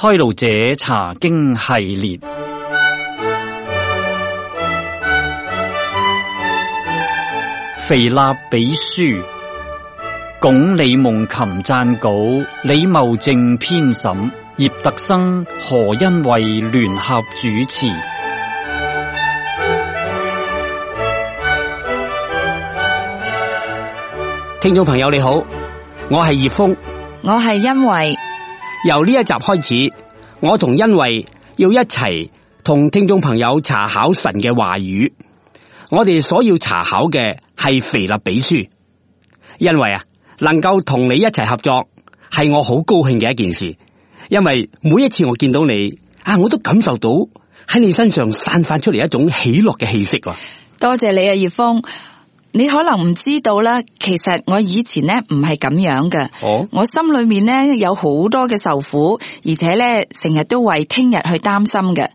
開路者查經系列，腓立比書，鞏李夢琴撰稿，李茂正編審，葉特生、何恩惠聯合主持。聽眾朋友你好，我係葉峰，我係恩惠。由呢一集開始，我同恩惠要一齊同聽眾朋友查考神嘅話語。我哋所要查考嘅係腓立比書。恩惠啊，能夠同你一齊合作係我好高興嘅一件事，因為每一次我見到你我都感受到喺你身上散發出嚟一種喜樂嘅氣息。多謝你啊，葉峰。你可能唔知道啦，其實我以前呢唔係咁樣嘅。我心裏面呢有好多嘅愁苦，而且呢成日都為聽日去擔心嘅。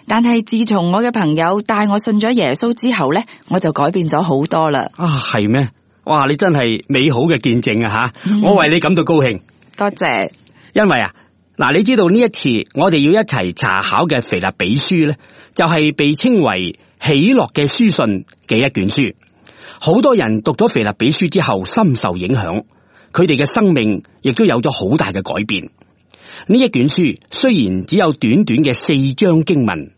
但係自從我嘅朋友帶我信咗耶穌之後呢，我就改變咗好多啦。係咩？哇！你真係美好嘅見證啊吓！我為你感到高興。多謝。因為嗱，你知道呢一次我哋要一齊查考嘅腓立比書呢，就係被稱為喜樂嘅書信嘅一卷書。好多人讀咗腓立比書之後深受影響，佢哋嘅生命亦都有咗好大嘅改變。呢一卷書雖然只有短短嘅4章經文，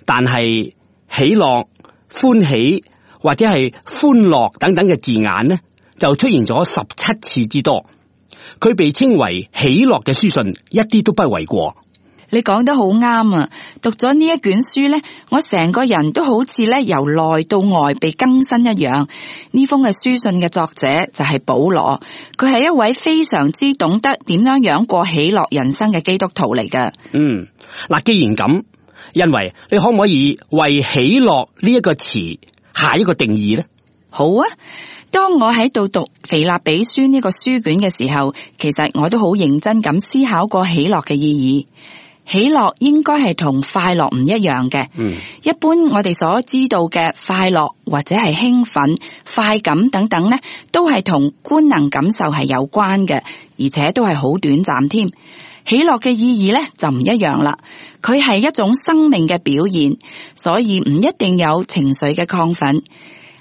但係喜樂、歡喜或者係歡樂等等嘅字眼呢，就出現咗17次之多。佢被稱為喜樂嘅書信，一啲都不為過。你講得好啱啊！讀咗呢一卷書呢，我成個人都好似呢由內到外被更新一樣。呢封嘅書信嘅作者就係保羅，佢係一位非常之懂得點樣過喜樂人生嘅基督徒嚟㗎。嗱，既然咁，因為你可唔可以為喜樂呢一個詞下一個定義呢？好啊！當我喺度讀腓立比書呢個書卷嘅時候，其實我都好認真咁思考過喜樂嘅意義。喜樂應該係同快樂唔一樣嘅。一般我哋所知道嘅快樂或者係興奮、快感等等呢，都係同官能感受係有關嘅，而且都係好短暫添。喜樂嘅意義呢就唔一樣啦，佢係一種生命嘅表現，所以唔一定有情緒嘅亢奮。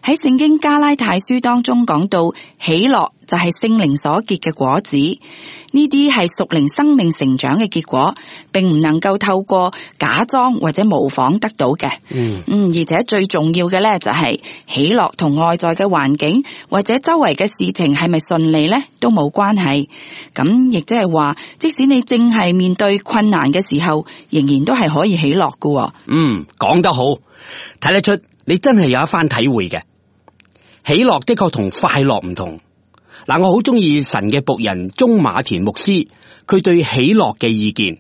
喺聖經加拉太書當中講到，喜樂就係聖靈所結嘅果子，呢啲係屬靈生命成長嘅結果，並唔能夠透過假裝或者模仿得到嘅。而且最重要嘅呢，就係喜樂同外在嘅環境或者周圍嘅事情係咪順利呢，都冇關係。咁亦即係話，即使你正係面對困難嘅時候，仍然都係可以喜樂㗎。講得好，睇得出你真係有一番體會嘅。喜樂的確同快樂唔同。嗱，我好中意神嘅僕人鍾馬田牧師，佢對喜樂嘅意見。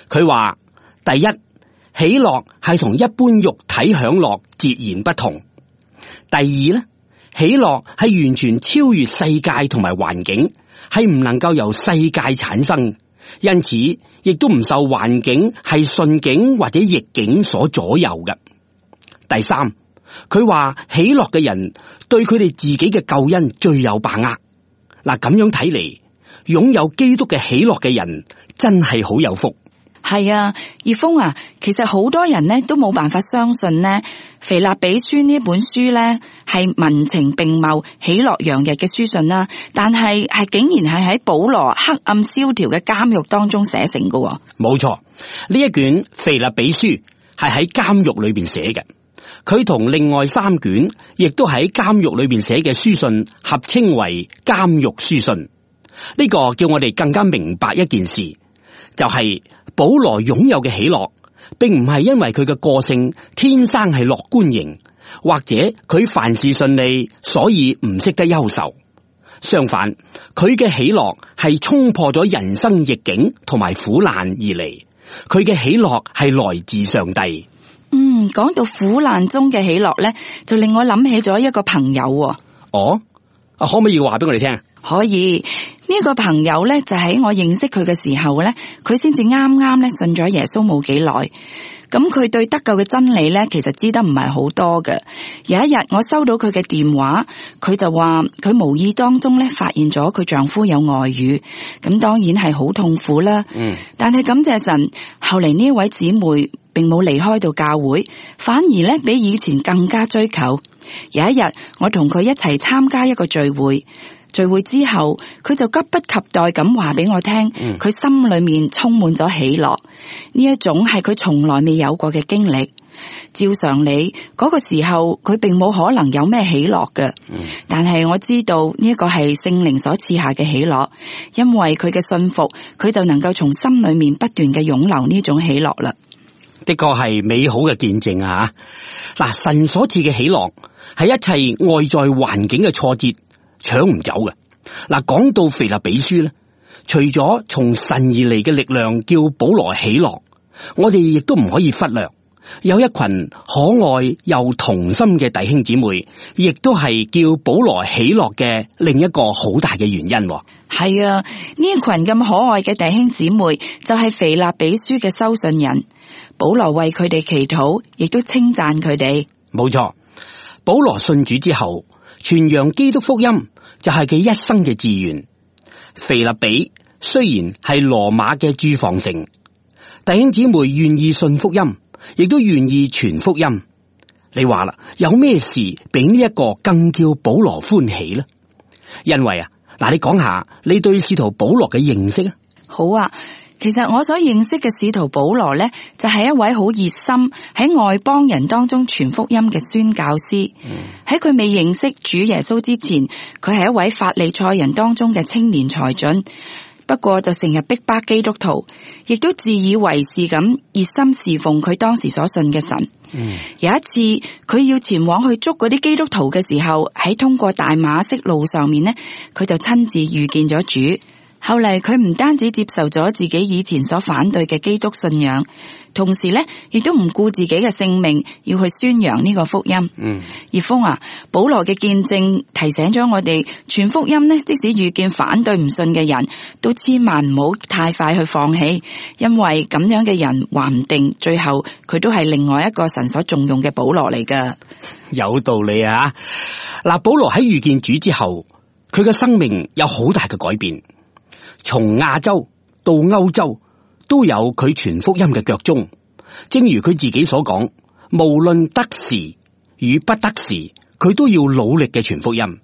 佢話：第一，喜樂係同一般肉體享樂截然不同；第二呢，喜樂係完全超越世界同埋環境，係唔能夠由世界產生，因此亦都唔受環境係順境或者逆境所左右嘅。第三，佢話喜樂嘅人對佢哋自己嘅救恩最有把握。嗱，咁樣睇嚟，擁有基督嘅喜樂嘅人真係好有福。係啊，葉峰啊，其實好多人呢都冇辦法相信呢，腓立比書呢本書呢係文情並茂、喜樂洋溢嘅書信啦，但係竟然係喺保羅黑暗蕭條嘅監獄當中寫成㗎。冇錯，呢一卷腓立比書係喺監獄裏邊寫嘅。佢同另外3卷亦都喺監獄裏邊寫嘅書信合稱為監獄書信。呢個叫我哋更加明白一件事，就係保羅擁有嘅喜樂，並唔係因為佢嘅個性天生係樂觀型，或者佢凡事順利，所以唔識得憂愁。相反，佢嘅喜樂係衝破咗人生逆境同埋苦難而嚟，佢嘅喜樂係來自上帝。講到苦難中嘅喜樂呢，就令我諗起咗一個朋友。可唔可以話俾我哋聽？可以。呢個朋友呢，就喺我認識佢嘅時候呢，佢先至啱啱呢信咗耶穌冇幾耐。咁佢對得救嘅真理呢，其實知得唔係好多嘅。有一日我收到佢嘅電話，佢就話佢無意當中呢發現咗佢丈夫有外遇，咁當然係好痛苦啦。但係感謝神，後嚟呢位姊妹並冇離開到教會，反而呢比以前更加追求。有一日我同佢一齊參加一個聚會。聚會之後，佢就急不及待咁話俾我聽，佢心裏面充滿咗喜樂，呢一種係佢從來未有過嘅經歷。照常理，嗰個時候佢並冇可能有咩喜樂嘅，但係我知道呢一個係聖靈所賜下嘅喜樂，因為佢嘅信服，佢就能夠從心裏面不斷嘅湧流呢種喜樂啦。的確係美好嘅見證啊！嗱，神所賜嘅喜樂係一切外在環境嘅挫折搶唔走嘅。嗱，講到腓立比書咧，除咗從神而嚟嘅力量叫保羅喜樂，我哋亦都唔可以忽略有一群可愛又同心嘅弟兄姊妹，亦都係叫保羅喜樂嘅另一個好大嘅原因。係啊，呢一群咁可愛嘅弟兄姊妹就係腓立比書嘅收信人，保羅為佢哋祈禱，亦都稱讚佢哋。冇錯，保羅信主之後，傳揚基督福音就係佢一生嘅志願。腓立比雖然係羅馬嘅駐防城，弟兄姊妹願意信福音，亦都願意傳福音。你話啦，有咩事比呢一個更叫保羅歡喜呢？因為啊，嗱，你講下你對使徒保羅嘅認識啊？好啊。其實我所認識嘅使徒保羅呢，就係一位好熱心喺外邦人當中傳福音嘅宣教師。喺佢未認識主耶穌之前，佢係一位法利賽人當中嘅青年才俊。不過就成日逼迫基督徒，亦都自以為是咁熱心侍奉佢當時所信嘅神。有一次佢要前往去捉嗰啲基督徒嘅時候，喺通過大馬色路上面呢，佢就親自遇見咗主。後嚟佢唔單止接受咗自己以前所反對嘅基督信仰，同時呢亦都唔顧自己嘅性命，要去宣揚呢個福音。葉峰啊，保羅嘅見證提醒咗我哋，傳福音呢，即使遇見反對唔信嘅人，都千萬唔好太快去放棄，因為咁樣嘅人話唔定最後佢都係另外一個神所重用嘅保羅嚟噶。有道理啊！嗱，保羅喺遇見主之後，佢嘅生命有好大嘅改變。從亞洲到歐洲都有佢傳福音嘅腳蹤，正如佢自己所講，無論得時與不得時，佢都要努力嘅傳福音。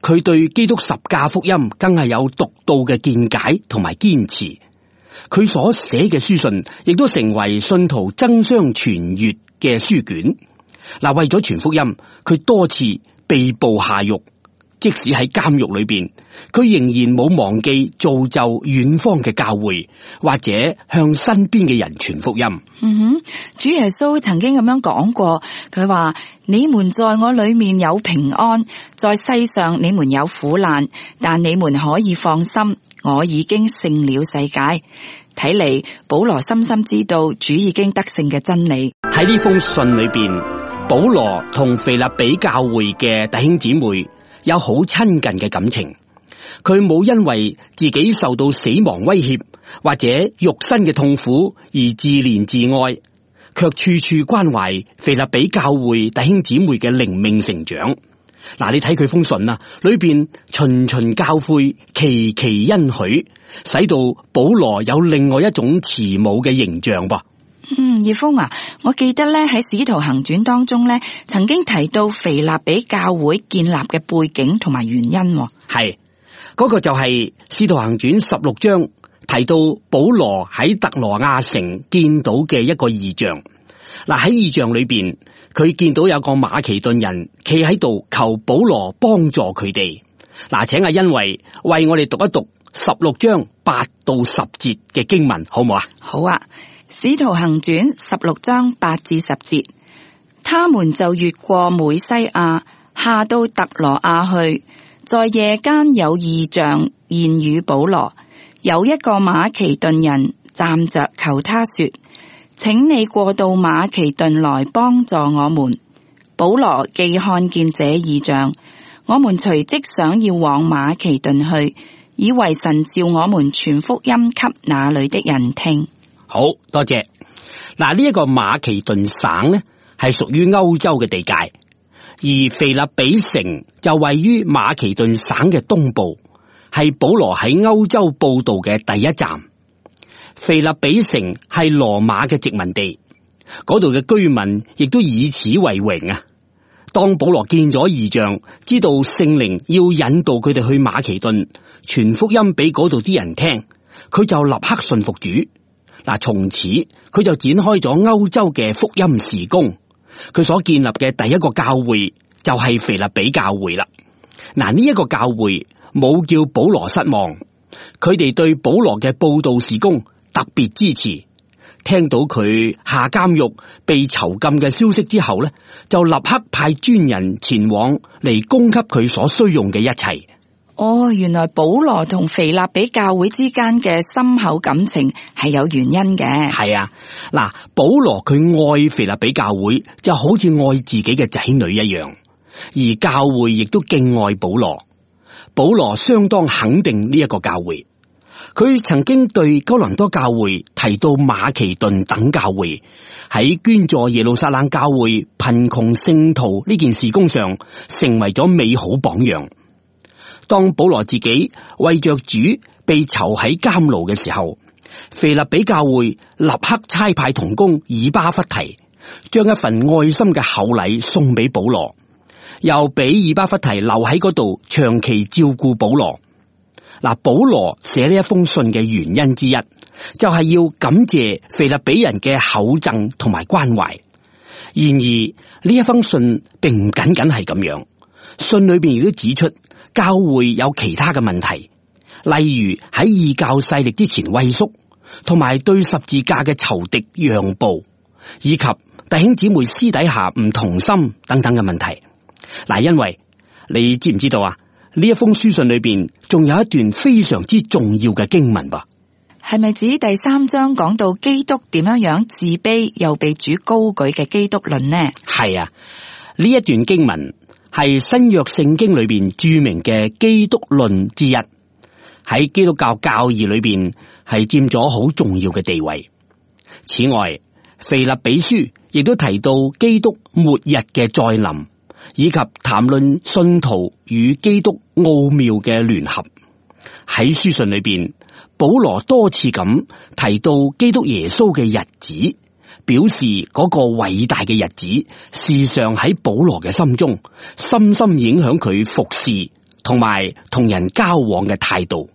佢對基督十架福音更係有獨到嘅見解同埋堅持。佢所寫嘅書信亦都成為信徒爭相傳閱嘅書卷。嗱，為咗傳福音，佢多次被捕下獄。即使喺監獄裏邊，佢仍然冇忘記造就遠方嘅教會，或者向身邊嘅人傳福音。主耶穌曾經咁樣講過，佢話：你們在我裏面有平安，在世上你們有苦難，但你們可以放心，我已經勝了世界。睇嚟保羅深深知道主已經得勝嘅真理。喺呢封信裏邊，保羅同腓立比教會嘅弟兄姊妹有好親近嘅感情，佢冇因為自己受到死亡威脅或者肉身嘅痛苦而自憐自愛，卻處處關懷腓立比教會弟兄姊妹嘅靈命成長。嗱，你睇佢封信啊，裏邊循循教誨，期期恩許，使到保羅有另外一種慈母嘅形象噃。葉峰啊，我記得咧喺《使徒行傳》當中咧，曾經提到腓立比教會建立嘅背景同埋原因。係嗰個就係《使徒行傳》16章提到保羅喺特羅亞城見到嘅一個異象。嗱，喺異象裏邊，佢見到有個馬其頓人企喺度求保羅幫助佢哋。嗱，請阿恩惠為我哋讀一讀16章8到10節嘅經文，好唔好啊？好啊。使徒行傳16章8至10節，他們就越過美西亞，下到特羅亞去，在夜間有異象現與保羅，有一個馬其頓人站着求他說：請你過到馬其頓來幫助我們。保羅既看見這異象，我們隨即想要往馬其頓去，以為神召我們傳福音給那裏的人聽。好多謝。嗱，呢一個馬其頓省呢係屬於歐洲嘅地界，而腓立比城就位於馬其頓省嘅東部，係保羅喺歐洲佈道嘅第一站。腓立比城係羅馬嘅殖民地，嗰度嘅居民亦都以此為榮啊！當保羅見咗異象，知道聖靈要引導佢哋去馬其頓傳福音俾嗰度啲人聽，佢就立刻信服主。嗱，從此佢就展開咗歐洲嘅福音事工。佢所建立嘅第一個教會就係腓立比教會啦。嗱，呢一個教會冇叫保羅失望，佢哋對保羅嘅佈道事工特別支持。聽到佢下監獄被囚禁嘅消息之後呢，就立刻派專人前往嚟供給佢所需用嘅一切。哦，原來保羅同腓立比教會之間嘅深厚感情係有原因嘅。係啊，嗱，保羅佢愛腓立比教會就好似愛自己嘅仔女一樣，而教會亦都敬愛保羅。保羅相當肯定呢一個教會。佢曾經對哥林多教會提到馬其頓等教會喺捐助耶路撒冷教會貧窮聖徒呢件事工上成為咗美好榜樣。當保羅自己為着主被囚喺監牢嘅時候，腓立比教會立刻差派同工以巴弗提，將一份愛心嘅厚禮送俾保羅，又俾以巴弗提留喺嗰度長期照顧保羅。嗱，保羅寫呢一封信嘅原因之一，就係要感謝腓立比人嘅厚贈同埋關懷。然而呢一封信並唔僅僅係咁樣，信裏邊亦都指出教會有其他嘅問題，例如喺異教勢力之前畏縮，同埋對十字架嘅仇敵讓步，以及弟兄姊妹私底下唔同心等等嘅問題。嗱，因為你知唔知道啊？呢一封書信裏邊仲有一段非常之重要嘅經文噃，係咪指第3章講到基督點樣自卑又被主高舉嘅基督論呢？係啊，呢一段經文係新約聖經裏邊著名嘅基督論之一，喺基督教教義裏邊係佔咗好重要嘅地位。此外，腓立比書亦都提到基督末日嘅再臨，以及談論信徒與基督奧妙嘅聯合。喺書信裏邊，保羅多次咁提到基督耶穌嘅日子，表示嗰個偉大嘅日子時常喺保羅嘅心中深深影響佢服侍同埋同人交往嘅態度。